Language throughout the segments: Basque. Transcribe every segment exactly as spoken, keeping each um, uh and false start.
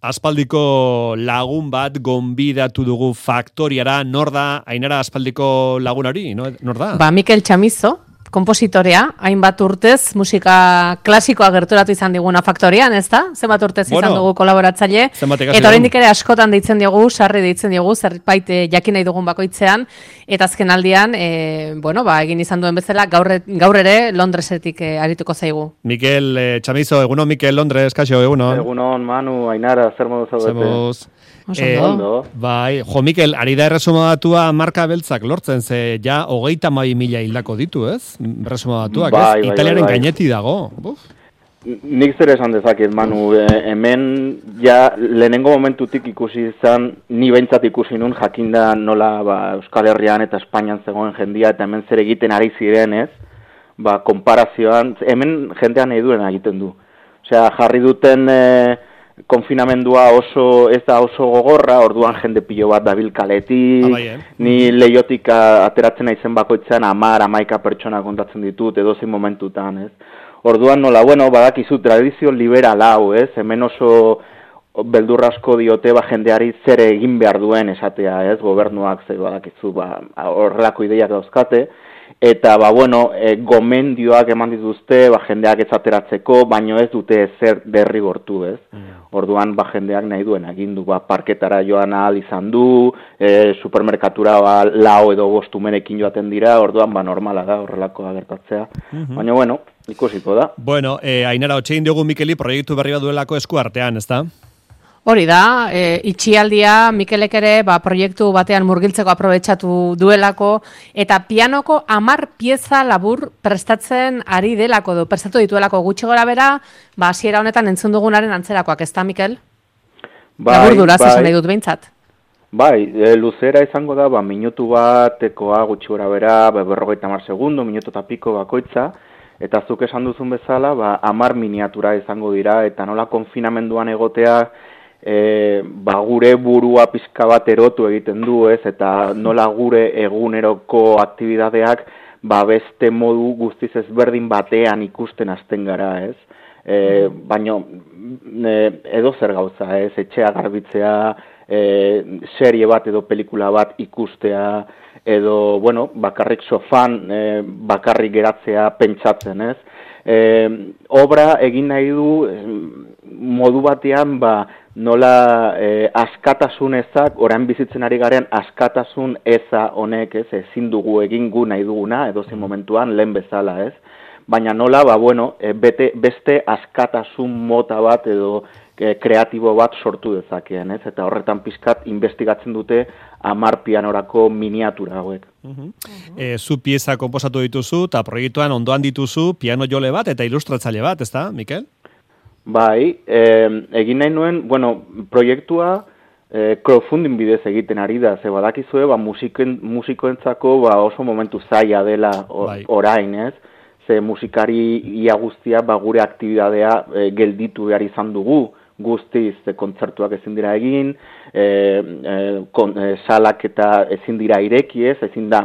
Aspaldiko lagun bat gonbidatu dugu Faktoriara. Nor da, Ainara, aspaldiko lagun hori? Nor da? Ba, Mikel Chamizo, kompositorea, hainbat urtez musika klasikoa gerturatu izan diguna Faktorian, ez da? Zenbat urtez bueno, izan dugu kolaboratzaile. Eta oraindik ere askotan deitzen diogu, sarri deitzen diogu, zerbait jakin nahi dugun bakoitzean. Eta azken aldian, e, bueno, ba, egin izan duen bezala, gaur, gaur ere Londresetik e, arituko zaigu. Mikel e, Chamizo, egunon, Mikel Londres, kaixo, egunon. Egunon, Manu, Ainara, zer modu zaudete? Zemuz. Eh, ondo. Bai, jo, Mikel, ari da erresumatua marka beltzak lortzen, ze ja hogeita mai mila hildako ditu, ez? Erresumatuak, bai, ez? Bai, Italiaren bai, bai. gaineti dago. Buf. Nik zer esan dezaket, Manu, e, hemen ja lehenengo momentutik ikusi izan, ni behintzat ikusi nun jakinda nola ba, Euskal Herrian eta Espainian zegoen jendia eta hemen zer egiten ari ziren, ez? Ba, konparazioan, hemen jendean nahi duen egiten du. Osea, jarri duten e, konfinamendua oso ez da oso gogorra, orduan jende pilo bat dabil kaletik, ah, bai, eh? ni leiotik ateratzen naizen bakoitzean hamar, hamaika pertsona kontatzen ditut, edozein momentutan, ez? Orduan nola, bueno, badakizu tradizio liberal hau, ez? Hemen oso beldurrasko diote ba jendeari zer egin behar duen esatea, ez? Gobernuak ze badakizu, ba horrelako ideiak dauzkate. Eta, ba, bueno, e, gomendioak eman dituzte, ba, jendeak ez ateratzeko, baino ez dute zer derrigortu, ez? Mm. Orduan, ba, jendeak nahi duen agindu, ba, parketara joan ahal izan du, e, supermerkatura, ba, lau edo bostumerekin joaten dira, orduan, ba, normala da, horrelako agertatzea. Mm-hmm. Baina, bueno, ikusiko da. Bueno, eh, Ainara, otxein diogu Mikeli proiektu berri bat duelako esku artean, ez da? Hori da, e, itxialdia Mikelek ere ba, proiektu batean murgiltzeko aprobetxatu duelako, eta pianoko hamar pieza labur prestatzen ari delako, du, prestatu dituelako gutxi gora bera, ba, hasiera honetan entzun dugunaren antzerakoak, ez da, Mikel? Bai, labur duraz bai. esan nahi dut behintzat. Bai, e, luzera izango da, ba, minutu batekoa gutxi gora bera, ba, berrogeita hamar segundo, minutu eta piko bakoitza, eta zuk esan duzun bezala, ba, hamar miniatura izango dira, eta nola konfinamenduan egotea, E, ba, gure burua pizka bat erotu egiten du, ez? Eta nola gure eguneroko aktibidadeak ba, beste modu guztiz ezberdin batean ikusten hasten gara, ez? E, baino e, edo zer gauza, ez? Etxea garbitzea, e, serie bat edo pelikula bat ikustea, edo, bueno, bakarrik sofan, e, bakarrik geratzea pentsatzen, ez? E, obra egin nahi du e, modu batean, ba, nola e, askatasun ezak, orain bizitzen ari garen askatasun eza honek, ez, ezin dugu egin gu nahi duguna, edozein momentuan, lehen bezala, ez. Baina nola, ba, bueno, e, bete, beste askatasun mota bat edo e, kreatibo bat sortu dezakeen, ez, eta horretan pizkat investigatzen dute hamar pianorako miniatura hauek. Uh-huh. E, zu pieza konposatu dituzu, eta proiektuan ondoan dituzu piano jole bat eta ilustratzaile bat, ez da, Mikel? Bai, eh, egin nahi nuen, bueno, proiektua eh, crowdfunding bidez egiten ari da, ze badakizue, ba, musiken, musikoentzako ba, oso momentu zaila dela o, bai. Orain, ez? Ze musikari ia guztia ba, gure aktibidadea eh, gelditu behar izan dugu, guztiz e, kontzertuak ezin dira egin, e, e, kon, e, salak eta ezin dira ireki, ez? Ezin da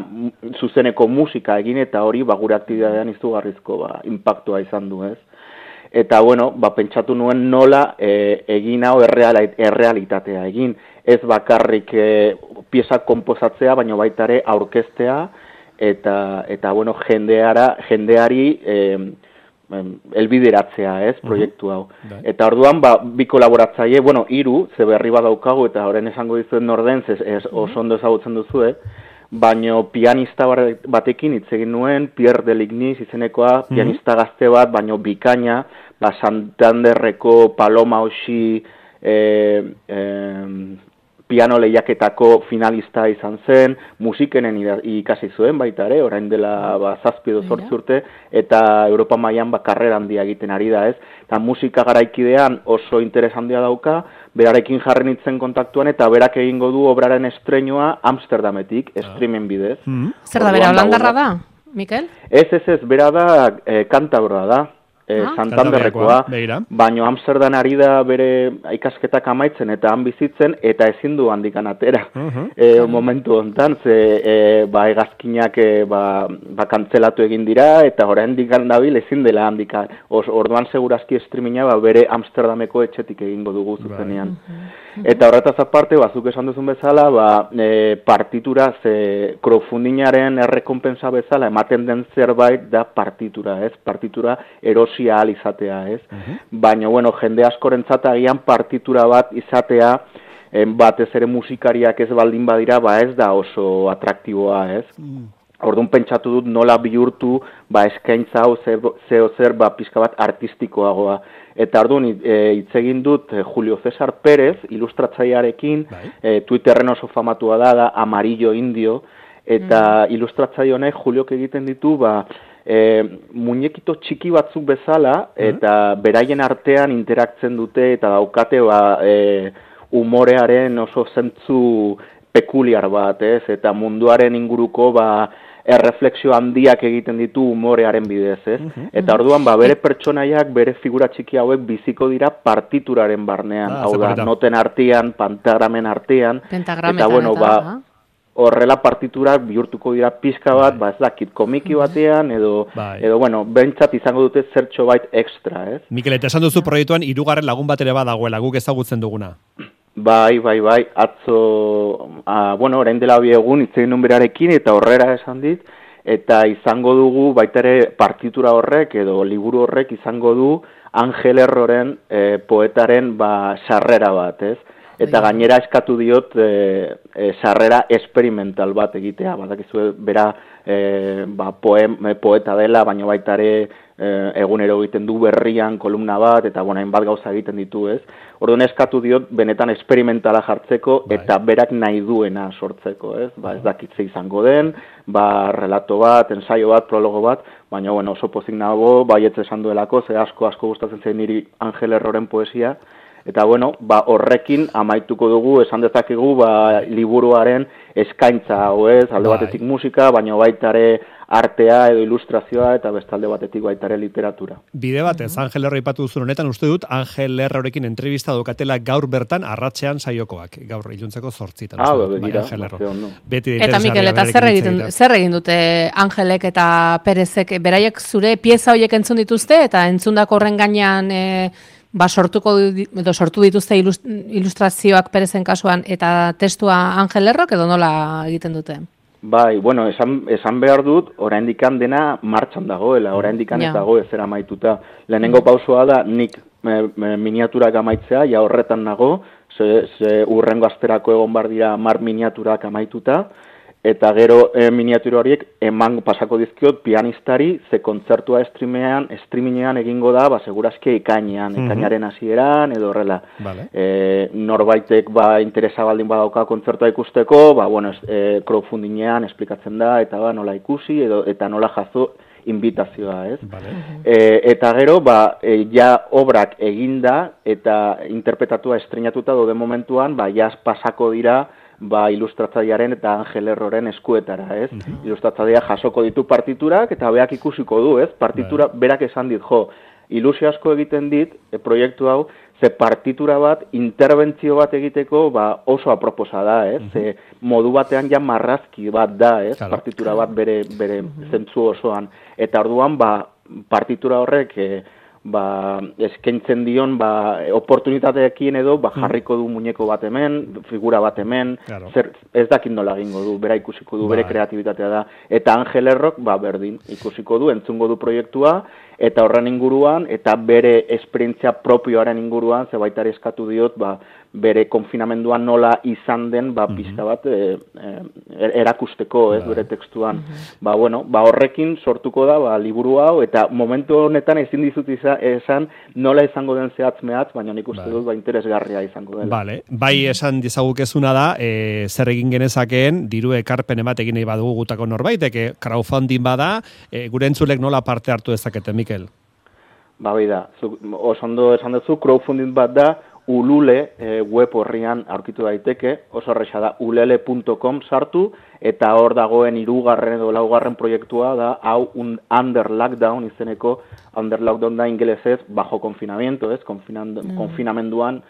zuzeneko musika egin, eta hori ba, gure aktibidadean izugarrizko ba, impactua izan du, ez? Eta, bueno, ba, pentsatu nuen nola e, egin hau errealitatea egin. Ez bakarrik e, pieza komposatzea, baina baita ere aurkeztea, eta, eta bueno, jendeara, jendeari e, elbideratzea, ez, proiektu hau. Uh-huh. Eta orduan, ba, bi kolaboratzaile, bueno, hiru, ze berri badaukagu, eta horren esango dizuen norden, ez, ez oso ondo ezagutzen duzu, eh? Baino pianista batekin hitz egin nuen, Pierre Delignis izenekoa, mm-hmm. pianista gazte bat, baino bikaina, ba, Santanderreko Paloma Oxi e, e, piano lehiaketako finalista izan zen, musikenen ikasi zuen baita ere, orain dela ba, zazpi edo zortzi urte, eta Europa mailan ba, karrera handia egiten ari da, ez? Eta musika garaikidean oso interes handia dauka, berarekin jarri nintzen kontaktuan, eta berak egingo du obraren estreinua Amsterdametik, ah. streamen bidez. Mm-hmm. Zer da, bera holandarra da, Mikel? Ez, ez, ez, bera da e, kantabroa da. Eh, ah, Santanderrekoa, baino Amsterdam ari da bere ikasketak amaitzen eta han bizitzen eta ezin du handikan atera. Uh-huh. E, momentu hontan ze e, ba hegazkinak e, ba, ba kantzelatu egin dira eta oraindik dabil ezin dela handikan. Orduan segurazki streaminga ba bere Amsterdameko etxetik egingo dugu zuzenean. Uh-huh. Eta horretaz aparte, bazuk esan duzun bezala, ba, e, partitura, ze crowdfundingaren errekonpensa bezala, ematen den zerbait da partitura, ez? Partitura erosia ahal izatea, ez? Uh-huh. Baina, bueno, jende askorentzat agian partitura bat izatea, en, batez ere musikariak ez baldin badira, ba ez da oso atraktiboa, ez? Uh-huh. Orduan pentsatu dut nola bihurtu ba eskaintza hau zeo zer ba pizka bat artistikoagoa. Eta orduan hitz egin dut eh, Julio César Pérez, ilustratzailearekin, eh, Twitterren oso famatua da, da Amarillo Indio, eta mm. ilustratzaile honek Juliok egiten ditu ba e, muñekito txiki batzuk bezala, eta mm. beraien artean interaktzen dute eta daukate ba e, umorearen oso zentzu pekuliar bat, ez? Eta munduaren inguruko ba erreflexio handiak egiten ditu umorearen bidez, ez? Uh-huh, eta orduan, ba, bere pertsonaiak, bere figura txiki hauek biziko dira partituraren barnean, ah, hau da, noten artean, pentagramen artean, eta bueno, ba, horrela partiturak bihurtuko dira pizka bat, ba, ez dakit, komiki batean, edo, edo bueno, bentsat izango dute zertxo bait extra, ez? Mikel, eta esan duzu proiektuan, hirugarren lagun bat ere badagoela, guk ezagutzen duguna. Bai, bai, bai, atzo, a, bueno, orain dela bi egun itzegin nun berarekin eta horrera esan dit, eta izango dugu baita ere partitura horrek edo liburu horrek izango du Angel Erroren e, poetaren ba sarrera bat, ez? Eta gainera eskatu diot e, e, sarrera experimental bat egitea, badakizu bera e, ba, poem, poeta dela, baina baita ere e, egunero egiten du berrian kolumna bat, eta bueno, hainbat gauza egiten ditu, ez? Orduan eskatu diot benetan experimentala jartzeko bai. Eta berak nahi duena sortzeko, ez? Ba, ez dakitze izango den, ba, relato bat, ensaio bat, prologo bat, baina bueno, oso pozik nago, baietz esan duelako, ze asko asko gustatzen zen niri Angel Erroren poesia, eta bueno, ba, horrekin amaituko dugu, esan dezakegu, ba, liburuaren eskaintza hau ez, alde bai. Batetik musika, baina baita ere artea edo ilustrazioa eta bestalde batetik baita ere literatura. Bide batez, Angel Erro ipatu duzun honetan, uste dut, Angel Errorekin entrevista dokatela gaur bertan arratsean saiokoak, gaur iluntzeko zortzitan. Ah, bebe, dira. Eta Mikel, eta zer egiten, zer egin dute Angelek eta Perezek, beraiek zure pieza horiek entzun dituzte, eta entzundako horren gainean e, ba, sortuko edo sortu dituzte ilustrazioak Perezen kasuan, eta testua Angel Errok edo nola egiten dute? Bai, bueno, esan, esan behar dut, oraindikan dena martxan dagoela, oraindikan ja. Ez dago ezer amaituta. Lehenengo pausoa da, nik e, e, miniaturak amaitzea, ja horretan nago, ze, ze urrengo asterako egon bar dira mar miniaturak amaituta, eta gero e, miniatura horiek eman pasako dizkiot pianistari, ze kontzertua streamean, streamingean egingo da, ba, segurazki ekainean, ekainaren hasieran edo horrela. Vale. E, norbaitek ba, interesa baldin badauka kontzertua ikusteko, ba, bueno, e, crowdfundingean esplikatzen da, eta ba, nola ikusi, edo, eta nola jaso invitazioa, ez? Vale. E, eta gero, ba, e, ja obrak eginda, eta interpretatua estreinatuta dode momentuan, ba, ja pasako dira, ba, ilustratzailearen eta Angel Erroren eskuetara, ez? Uh-huh. Ilustratzailea jasoko ditu partiturak eta beak ikusiko du, ez? Partitura right. Berak esan dit, jo, ilusio asko egiten dit, e, proiektu hau, ze partitura bat, interbentzio bat egiteko, ba, oso aproposa da, ez? Uh-huh. Ze modu batean ja marrazki bat da, ez? Claro. Partitura bat bere, bere uh-huh. zentzu osoan. Eta orduan, ba, partitura horrek, e, ba, eskaintzen dion ba, oportunitateekin edo ba, jarriko du muñeko bat hemen, figura bat hemen, claro. Zer, ez dakit nola egingo du, bera ikusiko du, bere kreatibitatea da. Eta Angel Errok, ba, berdin, ikusiko du, entzungo du proiektua, eta horren inguruan, eta bere esperientzia propioaren inguruan, ze baita eskatu diot, ba, bere konfinamenduan nola izan den, ba, pizka bat e, e, erakusteko, ez, bere tekstuan. Ba, bueno, ba, horrekin sortuko da, ba, liburu hau, eta momentu honetan ezin dizut esan nola izango den zehatz mehatz, baina nik uste dut, ba, interesgarria izango dela. Vale. Bai, esan dizagukezuna da, e, zer egin genezakeen, diru ekarpen bat egin nahi badugu gutako norbaitek, crowdfunding bada, e, gure entzulek nola parte hartu dezakete, Mikel? Ba, bai da, oso ondo esan duzu, crowdfunding bat da, Ulule e, web horrian aurkitu daiteke, oso horreza da ulele punto com sartu, eta hor dagoen hirugarren edo laugarren proiektua da, hau un under lockdown izeneko, under lockdown da ingelesez, bajo confinamiento, ez, mm. konfinamenduan,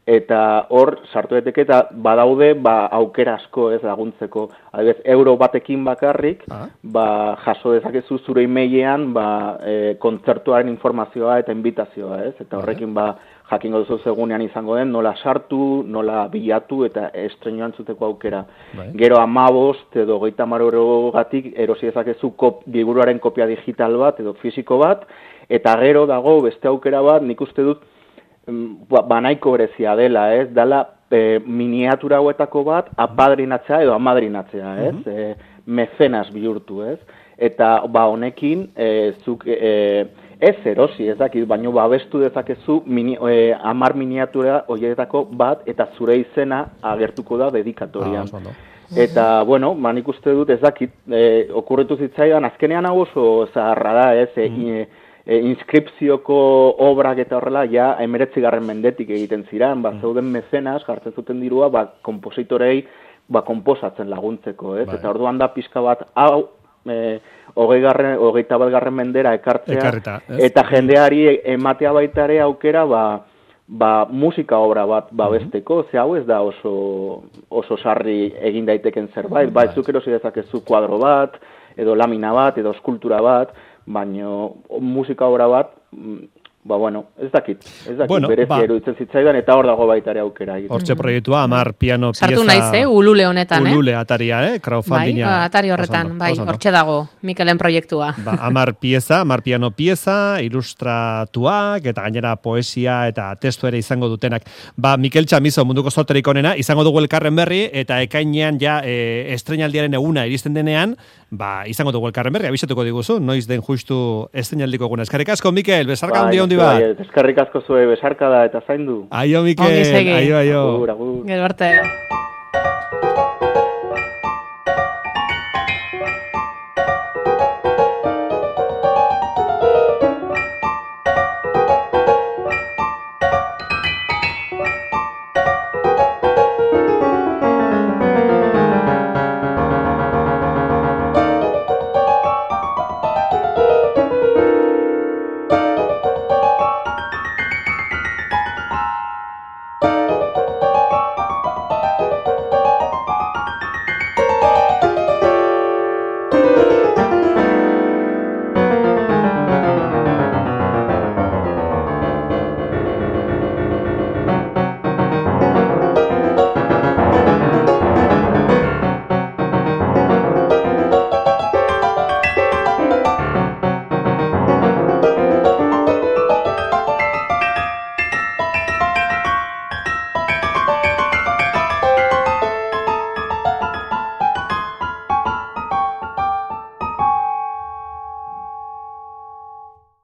eta hor sartu daiteke, eta badaude ba, aukera asko ez laguntzeko, adibidez, euro batekin bakarrik, ah. ba, jaso dezakezu zure emailean ba, e, kontzertuaren informazioa eta invitazioa, ez, eta horrekin ba, jakingo duzu segunean izango den, nola sartu, nola bilatu eta estreinoan zuteko aukera. Bai. Gero amabost edo geita maroro gatik erosi dezakezu kop, liburuaren kopia digital bat edo fisiko bat, eta gero dago beste aukera bat, nik uste dut ba, banaiko berezia dela, ez? Dala e, miniatura hauetako bat apadrinatzea edo amadrinatzea, ez? Uh-huh. E, mecenas bihurtu, ez? Eta ba honekin e, zuk e, ez erosi, ez dakit, baino babestu dezakezu mini, e, amar miniatura horietako bat eta zure izena agertuko da dedikatorian. Ah, eta, bueno, manik uste dut ez dakit, e, okurritu zitzaidan, azkenean hau oso zaharra da, ez, e, mm. e, e, inskripzioko obrak eta horrela, ja, emeretzigarren mendetik egiten ziren, ba, zeuden mezenas, jartzen zuten dirua, ba, kompositorei, ba, komposatzen laguntzeko, ez, bai. Eta orduan da pixka bat, hau, E, hogei garren, hogeita bat garren mendera ekartzea, Ekarreta, eta jendeari ematea baita ere aukera ba, ba, musika obra bat babesteko, mm-hmm. ze hau ez da oso, oso sarri egin daiteken zerbait, mm-hmm. ba, zuk erosi dezakezu kuadro bat, edo lamina bat, edo eskultura bat, baina musika obra bat, ba, bueno, ez dakit, ez dakit, bueno, berezi ba. Eruditzen zitzaidan, eta hor dago baita ere aukera. Hortxe proiektua, amar piano pieza... Sartu naiz, eh, ulule honetan, eh? Ulule ataria, eh, crowdfundinga. Bai, atari horretan, bai, hortxe dago, Mikelen proiektua. Ba, amar pieza, amar piano pieza, ilustratuak, eta gainera poesia eta testu ere izango dutenak. Ba, Mikel Chamizo, munduko zorterik onena, izango dugu elkarren berri, eta ekainean ja e, estreinaldiaren eguna iristen denean, ba, izango dugu elkarren berri, abisatuko diguzu, noiz den justu estreinaldiko eguna. Eskerrik asko, Mikel, bezarka handi hondi bat. Eskerrik asko zue besarka da eta zaindu. Aio, Mikel. Aio, aio. Gero arte.